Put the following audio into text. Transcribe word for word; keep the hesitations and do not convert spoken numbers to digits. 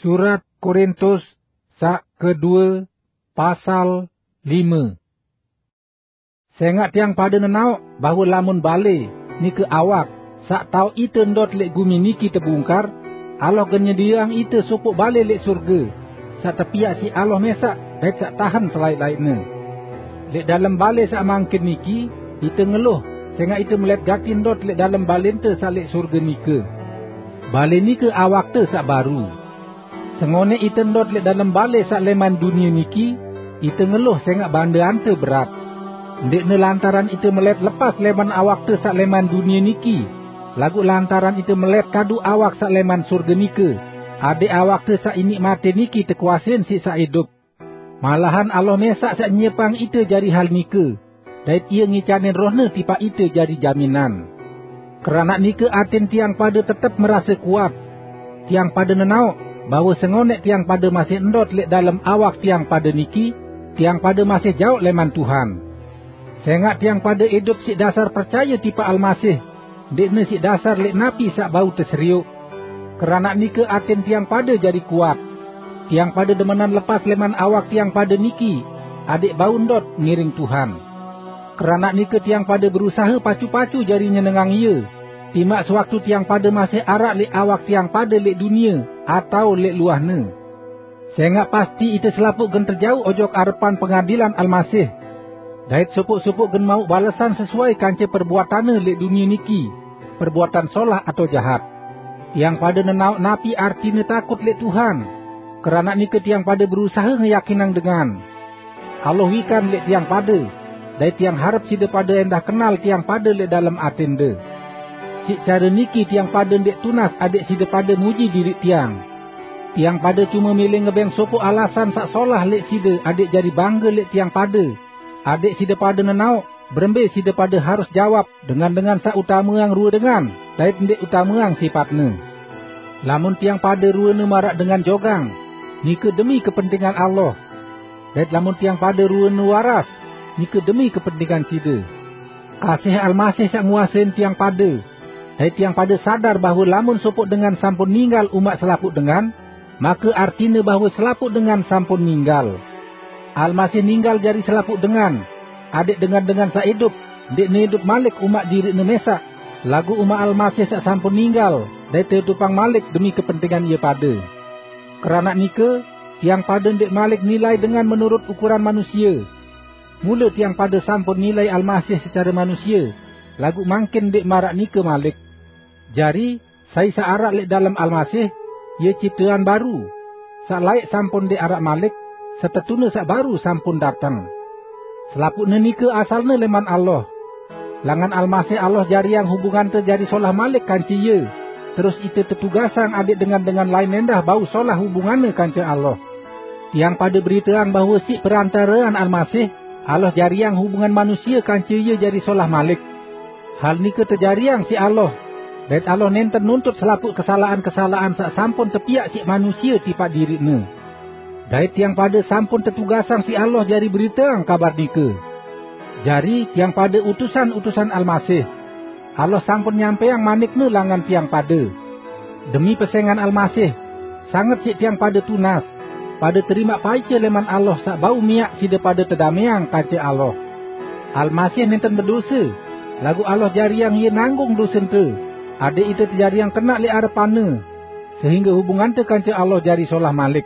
Surat Korintus sak kedua, pasal lima. Sengak tiang pada nenaok bahwa lamun bale nike awak sak tau ite ndot lek gumi niki tebungkar, Allah gen nyediaang ite sopok bale lek surge, sak tepiak siq Allah mesak dait sak tahen selait-laitne. Lek dalem bale sak mangkin niki, ite ngeluh, sengak ite melet gati ndot lek dalem balente sak lek surge nike. Bale nike awakte sak baru. Sengonek ite ndot lek dalem bale sak leman dunie niki, ite ngeluh sengak bandeante berat. Ndekne lantaran ite melet lepas leman awakte sak leman dunie niki, laguq lantaran ite melet kadu awak sak leman surge nike, adeq awakte sak inik mate niki tekuasein siq sak idup. Malahan Allah mesak saq nyiepang ite jari hal nike, dait Ie ngicanin Roh-Ne tipaq ite jari jaminan. Keranaq nike atin tiang pade tetep merase kuat. Tiang pade nenaoq bahwe sengoneq tiang pade masih ndot leq dalem awak tiang pade niki, tiang pade masih jaoq leman Tuhan. Sengaq tiang pade idup siq dasar percaye tipaq Almasih, ndeqne siq dasar leq napi saq bau teserioq. Keranaq nike atin tiang pade jari kuat. Tiang pade demenan lepas leman awak tiang pade niki, adeq bau ndot ngiring Tuhan. Keranaq nike tiang pade berusahe pacu-pacu jari nyenengang Ie, timaq sewaktu tiang pade masih araq leq awak tiang pade leq dunie atao leq luahne. Sengaq pasti ite selapuq gen tejauq ojok arepan pengadilan Almasih. Dait sopoq-sopoq gen mauq balesan sesuai kance perbuatanne leq dunie niki, perbuatan solah atao jahat. Tiang pade nenaoq napi artine takut leq Tuhan. Keranaq nike tiang pade berusahe ngeyakinang dengan. Allah wikan leq tiang pade, dait tiang harep side pade endah kenal tiang pade leq dalem atende. Siq care niki tiang pade ndeq tunas adeq side pade muji diriq tiang. Tiang pade cume mele ngebeng sopoq alasan saq solah leq side adeq jari bangge leq tiang pade, adeq side pade nenaoq berembe side pade harus jawab dengan-dengan saq utameang rue dengan dait ndeq utameang sipatne. Lamun tiang pade ruene maraq dengan jogang, nike demi kepentingan Allah. Dait lamun tiang pade ruene waras, nike demi kepentingan side. Kasih Almasih saq nguasein tiang pade, dait tiang pade sadar bahwe lamun sopoq dengan sampun ninggal umaq selapuq dengan, make artine bahwe selapuq dengan sampun ninggal. Almasih ninggal jari selapuq dengan, adeq dengan-dengan saq idup ndeqne idup malik umaq diriqne mesaq, laguq umaq Almasih saq sampun ninggal dait teidupang malik demi kepentingan ie pade. Keranaq nike, tiang pade ndeq malik nilai dengan menurut ukuran manusie. Mule tiang pade sampun nilai Almasih secare manusie, laguq mangkin ndeq maraq nike malik. Jari, sai saq araq leq dalem Almasih, ie ciptean baru. Saq laeq sampun ndeq araq malik, setetune saq baru sampun dateng. Selapuqne nike asalne leman Allah. Langan Almasih Allah jariang hubungante jari solah malik kance Ie, terus ite tetugasang adeq dengan-dengan lain endah bau solah hubunganne kance Allah. Tiang pade beriteang bahwe siq perantarean Almasih, Allah jariang hubungan manusie kance Ie jari solah malik. Hal nike tejariang siq Allah, dait Allah nenten nuntut selapuq kesalaqan-kesalaqan saq sampun tepiaq siq manusie tipaq diriqne. Dait tiang pade sampun tetugasang siq Allah jari beriteang kabar nike. Jari, tiang pade utusan-utusan Almasih. Allah sampun nyampeang manik-Ne langan tiang pade. Demi pesengan Almasih, sanget siq tiang pade tunas, pade terimaq paice leman Allah saq bau miaq side pade tedameang kance Allah. Almasih nenten bedose, laguq Allah jariang Ie nanggung dosente, adeq ite tejariang kenaq leq arepan-Ne, sehingge hubungante kance Allah jari solah malik.